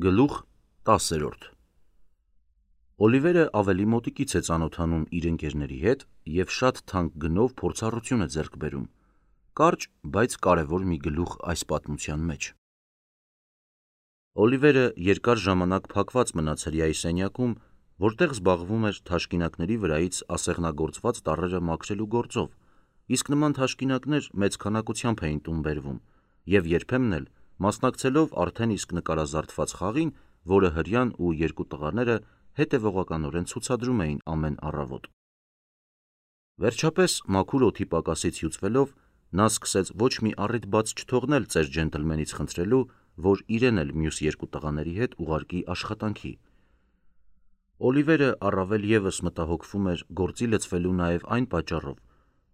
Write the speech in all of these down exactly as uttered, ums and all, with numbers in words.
Գլուխ տասերորդ Օլիվերը ավելի մոտիկից է ծանոթանում իր ընկերների հետ և շատ թանկ գնով փորձառություն է ձեռք բերում։ Կարճ, բայց կարևոր մի գլուխ այս պատմության մեջ։ Օլիվերը երկար ժամանակ փակված մնաց հրեայի սենյակում, որտեղ զբաղվում էր թաշկինակների վրայից ասեղնագործված տառերը մաքրելու գործով, իսկ նման թաշկինակներ մեծ քանակությամբ էին տուն բերվում, և երբեմն էլ մասնակցելով արդեն իսկ նկարազարդված խաղին, որը հրեան ու երկու տղաները հետևողականորեն ցուցադրում էին ամեն առավոտ։ Վերջապես, մաքուր օդի պակասից հյուծվելով, նա սկսեց ոչ մի առիթ բաց չթողնել ծեր ջենտլմենից խնդրելու, որ իրեն էլ մյուս երկու տղաների հետ ուղարկի աշխատանքի։ Օլիվերը առավել ևս մտահոգվում էր գործի լցվելու նաև այն պատճառով,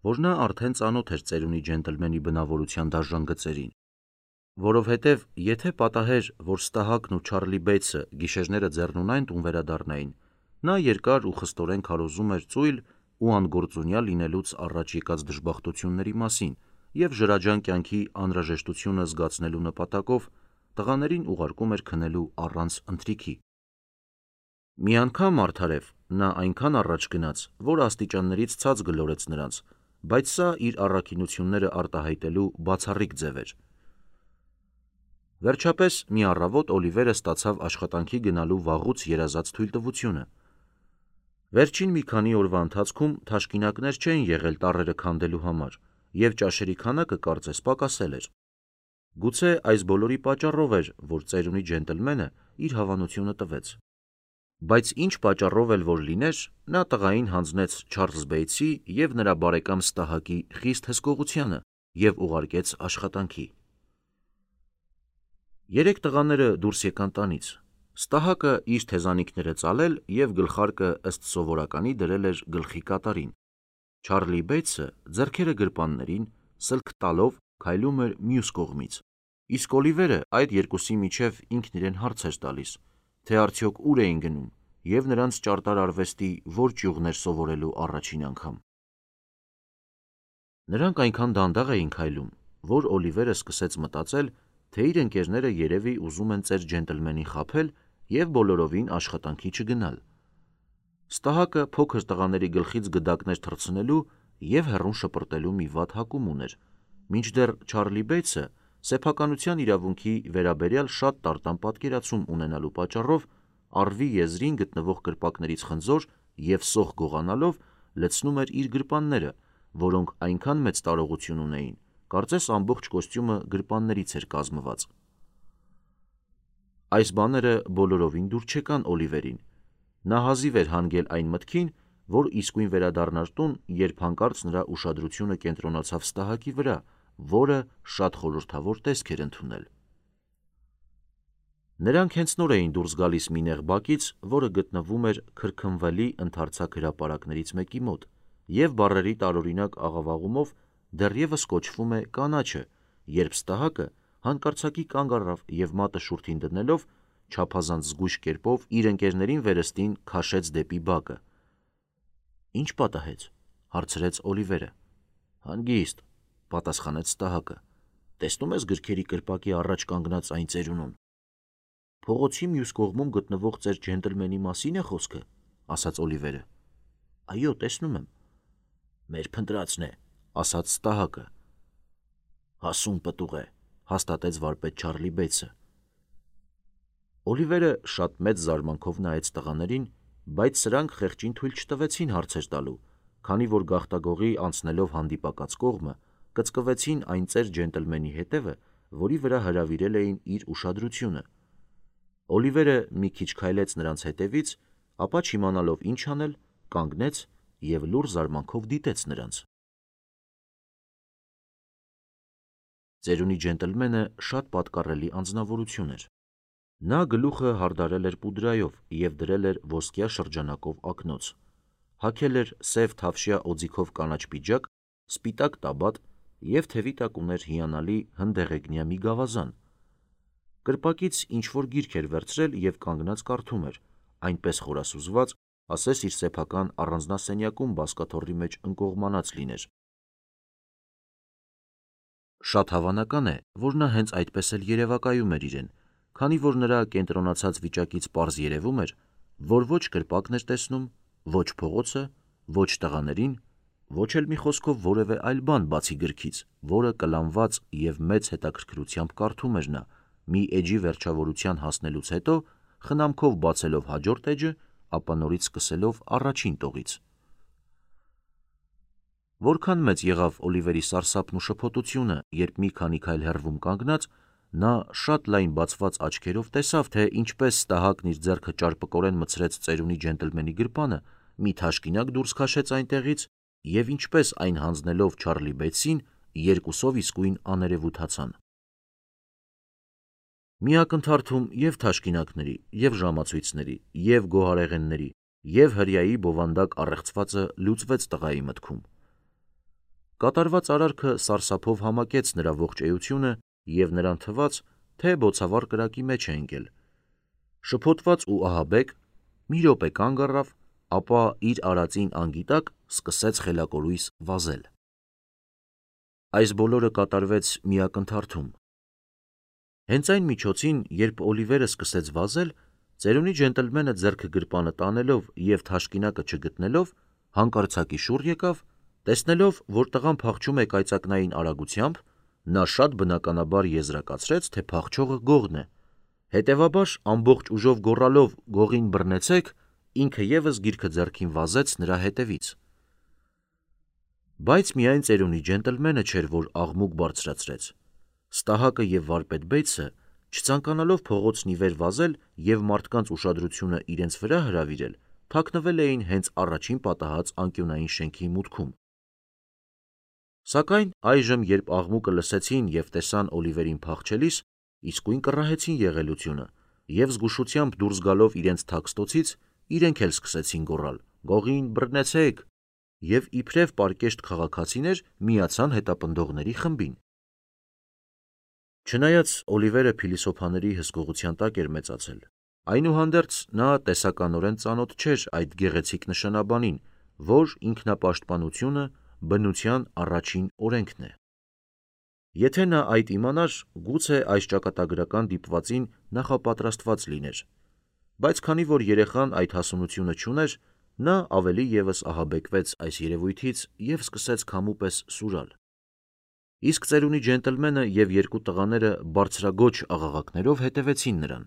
որ նա արդեն ծանոթ էր ծերունի ջենտլմենի բնավորության դաժան գծերին, որովհետև եթե պատահեր, որ Ստահակն ու Չարլի Բեյթսը գիշերները ձեռնունայն տուն վերադառնային, նա երկար ու խստորեն քարոզում էր ծույլ ու անգործունյա լինելուց առաջ եկած դժբախտությունների մասին և ժրաջան կյանքի անհրաժեշտությունը զգացնելու նպատակով տղաներին ուղարկում էր քնելու առանց ընթրիքի։ Մի անգամ արդարև նա այնքան առաջ գնաց, որ աստիճաններից ցած գլորեց նրանց, բայց սա իր առաքինությունները արտահայտելու բացառիկ ձև էր։ Վերջապես մի առավոտ Օլիվերը ստացավ աշխատանքի գնալու վաղուց երազած թույլտվությունը։ Վերջին մի քանի օրվա ընթացքում թաշկինակներ չէին եղել տառերը քանդելու համար, և ճաշերի քանակը կարծես պակասել էր։ Գուցե այս բոլորի պատճառով էր, որ ծերունի ջենտլմենը իր հավանությունը տվեց։ Բայց ինչ պատճառով էլ որ լիներ, նա տղային հանձնեց Չարլզ Բեյթսի և նրա բարեկամ Ստահակի խիստ հսկողությանը և ուղարկեց աշխատանքի։ Երեք տղաները դուրս եկան տանից։ Ստահակը իր թեզանիքները ծալել և գլխարկը ըստ սովորականի դրել էր գլխի կատարին։ Չարլի Բեյթսը ձեռքերը գրպաններին, սլք տալով քայլում էր մյուս կողմից, իսկ Օլիվերը այդ երկուսի միջև ինքն իրեն հարց էր տալիս, թե արդյոք ուր էին գնում և նրանց ճարտար արվեստի որ ճյուղն էր սովորելու առաջին անգամ։ Նրանք այնքան դանդաղ էին քայլում, որ Օլիվերը սկսեց մտածել, թե իր ընկերները երևի ուզում են ծեր ջենտլմենին խաբել և բոլորովին աշխատանքի չգնալ։ Ստահակը փոքր տղաների գլխից գդակներ թռցնելու և հեռուն շպրտելու մի վատ հակում ուներ, մինչդեռ Չարլի Բեյթսը սեփականության իրավունքի վերաբերյալ շատ տարտան պատկերացում ունենալու պատճառով առվի եզրին գտնվող կրպակներից խնձոր և սոխ գողանալով լցնում էր իր գրպանները, որոնք այնքան մեծ տարողություն ունեին, կարծես ամբողջ կոստյումը գրպաններից էր կազմված։ Այս բաները բոլորովին դուր չեկան Օլիվերին։ Նա հազիվ էր հանգել այն մտքին, որ իսկույն վերադառնար տուն, երբ հանկարծ նրա ուշադրությունը կենտրոնացավ Ստահակի վրա, որը շատ խորհրդավոր տեսք էր ընդունել։ Նրանք հենց նոր էին դուրս գալիս մի նեղ բակից, որը գտնվում էր քրքնվելի ընդարձակ հրապարակներից մեկի մոտ, և բառերի տարօրինակ աղավաղումով դեռևս կոչվում է «կանաչը», երբ Ստահակը հանկարծակի կանգ առավ և մատը շուրթին դնելով, չափազանց զգույշ կերպով իր ընկերներին վերստին քաշեց դեպի բակը։ «Ի՞նչ պատահեց», հարցրեց Օլիվերը։ «Հանգիստ», պատասխանեց Ստահակը։ «Տեսնում ես գրքերի կրպակի առաջ կանգնած այն ծերունուն»։ «Փողոցի մյուս կողմում գտնվող ծեր ջենտլմենի մասի՞ն է խոսքը», ասաց Օլիվերը։ «Այո, տեսնում եմ»։ «Մեր փնտրածն է», ասաց Ստահակը։ «Հասուն պտուղ է», հաստատեց վարպետ Չարլի Բեյթսը։ Օլիվերը շատ մեծ զարմանքով նայեց տղաներին, բայց սրանք խեղճին թույլ չտվեցին հարցեր տալու, քանի որ գաղտագողի անցնելով հանդիպակաց կողմը, կծկվեցին այն ծեր ջենտլմենի հետևը, որի վրա հրավիրել էին իր ուշադրությունը։ Օլիվերը մի քիչ քայլեց նրանց հետևից, ապա չիմանալով ինչ անել, կանգնեց և լուռ զարմանքով դիտեց նրանց։ Ծերունի ջենտլմենը շատ պատկառելի անձնավորություն էր։ Նա գլուխը հարդարել էր պուդրայով և դրել էր ոսկյա շրջանակով ակնոց, հագել էր սև թավշյա օձիքով կանաչ պիջակ, սպիտակ տաբատ և թևի տակ ուներ հիանալի հնդեղեգնյա մի գավազան։ Կրպակից ինչ-որ գիրք էր վերցրել և կանգնած կարդում էր, այնպես խորասուզված, ասես իր սեփական առանձնասենյակում բազկաթոռի մեջ ընկողմանած լիներ։ Շատ հավանական է, որ նա հենց այդպես էլ երևակայում էր իրեն, քանի որ նրա կենտրոնացած վիճակից պարզ երևում էր, որ ոչ կրպակն էր տեսնում, ոչ փողոցը, ոչ տղաներին, ոչ էլ մի խոսքով որևէ այլ բան բացի գրքից, որը կլանված և մեծ հետաքրքրությամբ կարդում էր նա, մի էջի վերջավորության հասնելուց հետո խնամքով բացելով հաջորդ էջը, ապա նորից սկսելով առաջին տողից։ Որքան մեծ եղավ Օլիվերի սարսափն ու շփոթությունը, երբ մի քանի քայլ հեռվում կանգնած, նա շատ լայն բացված աչքերով տեսավ, թե ինչպես Ստահակն իր ձեռքը ճարպկորեն մտցրեց ծերունի ջենտլմենի գրպանը, մի թաշկինակ դուրս քաշեց այնտեղից և ինչպես այն հանձնելով Չարլի Բեյթսին, երկուսով իսկույն աներևութացան։ Մի ակնթարթում և թաշկինակների, և ժամացույցների, և գոհարեղենների, և հրեայի բովանդակ առեղծվածը լուծվեց տղայի մտքում։ Կատարված արարքը սարսափով համակեց նրա ողջ էությունը և նրան թվաց, թե բոցավառ կրակի մեջ է ընկել։ Շփոթված ու ահաբեկ մի րոպե կանգ առավ, ապա իր արածին անգիտակ սկսեց խելակորույս վազել։ Այս բոլորը կատարվեց մի ակնթարթում։ Հենց այն միջոցին, երբ Օլիվերը սկսեց վազել, ծերունի ջենտլմենը ձեռքը գրպանը տանելով և թաշկինակը չգտնելով, հանկարծակի շուռ եկավ, տեսնելով, որ տղան փախչում է կայծակնային արագությամբ, նա շատ բնականաբար եզրակացրեց, թե փախչողը Գողն է, հետևաբար ամբողջ ուժով գոռալով «Գողին բռնեցեք», ինքը ևս գիրքը ձեռքին վազեց նրա հետևից։ Բայց միայն ծերունի ջենտլմենը չէր, որ աղմուկ բարձրացրեց։ Ստահակը և վարպետ Բեյթսը, չցանկանալով փողոցն ի վեր վազել և մարդկանց ուշադրությունը իրենց վրա հրավիրել, թաքնվել էին հենց առաջին պատահած անկյունային շենքի մուտքում։ Սակայն այժմ, երբ աղմուկը լսեցին և տեսան Օլիվերին փախչելիս, իսկույն կռահեցին եղելությունը և զգուշությամբ դուրս գալով իրենց թաքստոցից, իրենք էլ սկսեցին գոռալ «Գողին բռնեցեք» և իբրև պարկեշտ քաղաքացիներ միացան հետապնդողների խմբին։ Չնայած Օլիվերը փիլիսոփաների հսկողության տակ էր մեծացել, այնուհանդերձ նա տեսականորեն ծանոթ չէր այդ գեղեցիկ նշանաբանին, որ ինքնապաշտպանությունը բնության առաջին օրենքն է։ Եթե նա այդ իմանար, գուցե այս ճակատագրական դիպվածին նախապատրաստված լիներ, բայց քանի որ երեխան այդ հասունությունը չուներ, նա ավելի ևս ահաբեկվեց այս երևույթից և սկսեց քամու պես սուրալ։ Իսկ ծերունի ջենտլմենը և երկու տղաները բարձրագոչ աղաղակներով հետևեցին նրան։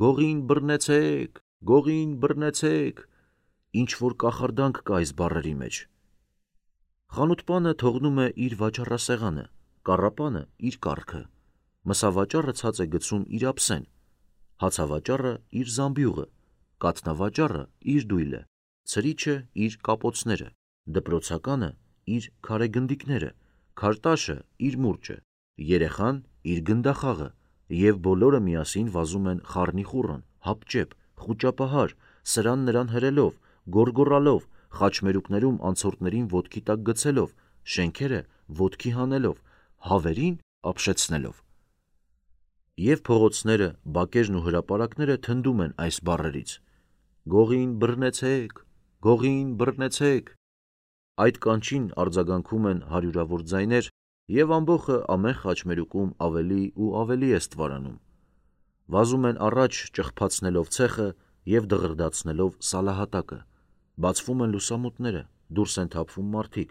«Գողին բռնեցեք, Գողին բռնեցեք», ինչ-որ կախարդանք կա այս բառերի մեջ։ Խանութպանը թողնում է իր վաճառասեղանը, կառապանը իր կառքը, մսավաճառը ցած է գցում իր ափսեն, հացավաճառը իր զամբյուղը, կաթնավաճառը իր դույլը, ցրիչը իր կապոցները, դպրոցականը իր քարեգնդիկները, քարտաշը իր մուրճը, երեխան իր գնդախաղը, և բոլորը միասին վազում են խառնիխուռն, հապճեպ, խուճապահար, սրան նրան հրելով, գոռգոռալով, խաչմերուկներում անցորդներին ոտքի տակ գցելով, շենքերը ոտքի հանելով, հավերին ապշեցնելով։ Եվ փողոցները, բակերն ու հրապարակները թնդում են այս բառերից. «Գողին բռնեցեք, Գողին բռնեցեք»։ Այդ կանչին արձագանքում են հարյուրավոր ձայներ, և ամբոխը ամեն խաչմերուկում ավելի ու ավելի է ստվարանում։ Վազում են առաջ ճղփացնելով ցեխը և դղրդացնելով սալահատակը, բացվում են լուսամուտները, դուրս են թափվում մարդիկ,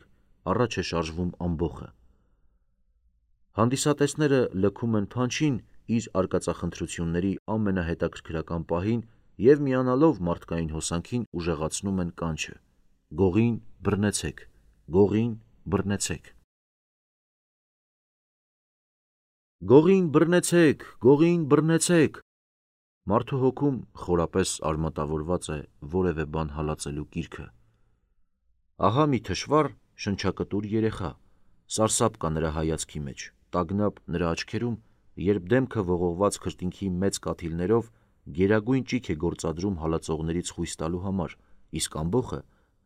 առաջ է շարժվում ամբոխը։ Հանդիսատեսները լքում են Փանչին իր արկածախնդրությունների ամենահետաքրքրական պահին և միանալով մարդկային հոսանքին ուժեղացնում են կանչը. «Գողին բռնեցեք, Գողին բռնեցեք»։ «Գողին բռնեցեք, Գողին բռնեցեք»։ Մարդու հոգում խորապես արմատավորված է որևէ բան հալածելու կիրքը։ Ահա մի թշվառ, շնչակտուր երեխա, սարսափ կա նրա հայացքի մեջ, տագնապ նրա աչքերում, երբ դեմքը ողողված քրտինքի մեծ կաթիլներով գերագույն ճիգ է գործադրում հալածողներից խույս տալու համար, իսկ ամբոխը,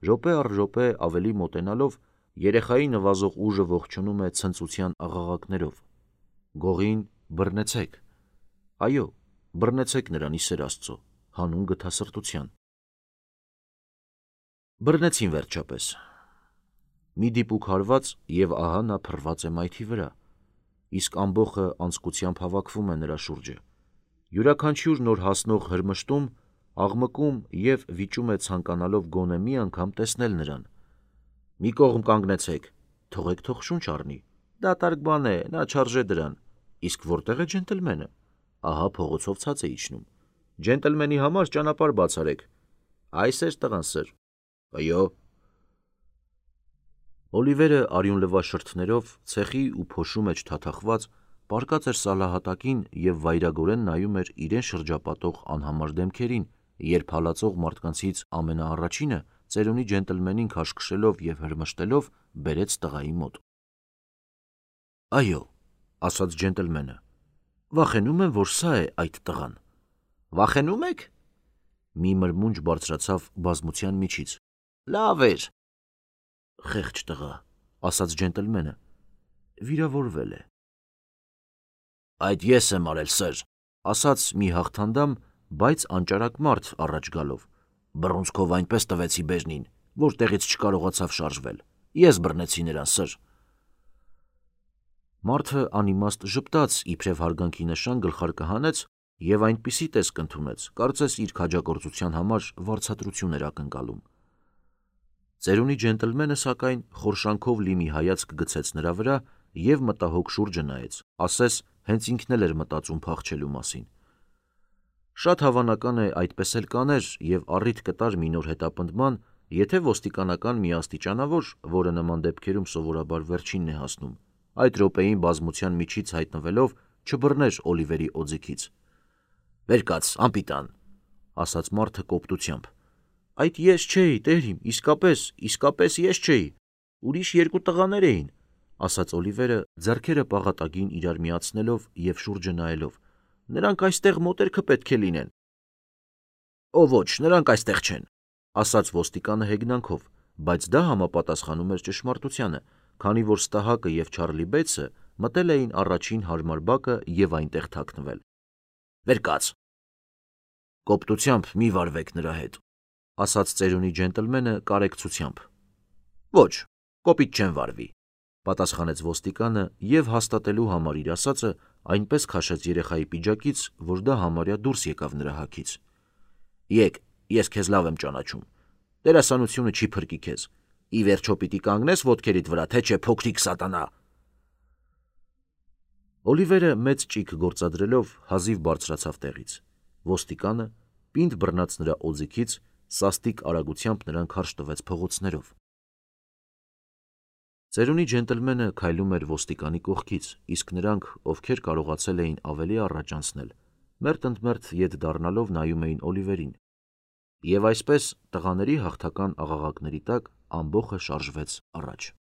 րոպե առ րոպե ավելի մոտենալով, երեխայի նվազող ուժը ողջունում է ցնծության աղաղակներով. «Գողին բռնեցեք»։ Այո, բռնեցեք նրան, ի սեր Աստծո, հանուն գթասրտության։ Բռնեցին վերջապես։ Մի դիպուկ հարված, և ահա նա փռված է մայթի վրա։ իսկ ամբոխը անձկությամբ հավաքվում է նրա շուրջը։ Յուրաքանչյուր նոր հասնող հրմշտում, աղմկում և վիճում է ցանկանալով գոնե մի անգամ տեսնել նրան։ «Մի կողմ կանգնեցեք, թողեք թող շունչ առնի, դատարկ բան է, նա չարժե դրան, իսկ որտե՞ղ է ջենտլմենը, ահա փողոցով ցած է իջնում, ջենտլմենի համար ճանապարհ բացարեք, այս էր տղան, սըր, այո»։ Օլիվերը արյունլվա շրթներով ցեխի ու փոշու մեջ թաթախված պառկած էր սալահատակին և վայրագորեն նայում էր իրեն շրջապատող անհամար դեմքերին, երբ հալածող մարդկանցից ամենաառաջինը ծերունի ջենտլմենին քաշքշելով և հրմշտելով բերեց տղայի մոտ։ «Այո», ասաց ջենտլմենը, «վախենում եմ, որ սա է այդ տղան»։ «Վախենու՞մ եք»։ Մի մրմունջ բարձրացավ բազմության միջից։ «Լավ էր»։ «Խեղճ տղա», ասաց ջենտլմենը, «վիրավորվել է»։ «Այդ ես եմ արել, սըր», ասաց մի հաղթանդամ, բայց անճարակ մարդ առաջ գալով, «բռունցքով այնպես տվեցի բեժնին, որ տեղից չկարողացավ շարժվել, ես բռնեցի նրան, սըր»։ Մարդը անիմաստ ժպտաց, իբրև հարգանքի նշան գլխարկը հանեց և այնպիսի տեսք ընդունեց, կարծես իր քաջագործության համար վարձատրություն էր ակնկալում։ Ծերունի ջենտլմենը, սակայն, խորշանքով լի մի հայացք գցեց նրա վրա և մտահոգ շուրջը նայեց, ասես հենց ինքն էլ էր մտածում փախչելու մասին։ Շատ հավանական է այդպես էլ կաներ և առիթ կտար մի նոր հետապնդման, եթե ոստիկանական մի աստիճանավոր, որը նման դեպքերում սովորաբար վերջինն է հասնում, այդ րոպեին բազմության միջից հայտնվելով չբռներ Օլիվերի օձիքից։ «Վեր կաց, անպիտան», ասաց մարդը կոպտությամբ։ «Այդ ես չէի, տեր իմ, իսկապես, իսկապես ես չէի, ուրիշ երկու տղաներ էին», ասաց Օլիվերը, ձեռքերը պաղատագին իրար միացնելով և շուրջը նայելով։ «Նրանք այստեղ մոտերքը պետք է լինեն»։ «Օ ոչ, նրանք այստեղ չեն», ասաց ոստիկանը հեգնանքով, բայց դա համապատասխանում էր ճշմարտությանը, քանի որ Ստահակը և Չարլի Բեյցը մտել էին առաջին հարմար բակը և այնտեղ թաքնվել։ «Վեր կաց»։ «Կոպտությամբ մի վարվեք նրա հետ», ասաց ծերունի ջենտլմենը կարեկցությամբ։ «Ոչ, կոպիտ չեմ վարվի», պատասխանեց ոստիկանը և հաստատելու համար իր ասածը այնպես քաշեց երեխայի պիջակից, որ դա համարյա դուրս եկավ նրա հագից։ «Եկ, ես քեզ լավ եմ ճանաչում, դերասանությունը չի փրկի քեզ, ի վերջո պիտի կանգնես ոտքերիդ վրա, թե չէ, փոքրիկ սատանա»։ Օլիվերը մեծ ճիգ գործադրելով հազիվ բարձրացավ տեղից։ Ոստիկանը, պինդ բռնած նրա օձիքից, սաստիկ արագությամբ նրան քարշ տվեց փողոցներով։ Ծերունի ջենտլմենը քայլում էր ոստիկանի կողքից, իսկ նրանք, ովքեր կարողացել էին ավելի առաջ անցնել, մերթ ընդ մերթ ետ դառնալով նայում էին Օլիվերին։ Եվ այսպես տղաների հաղթական աղաղակների տակ ամբոխը շարժվեց առաջ։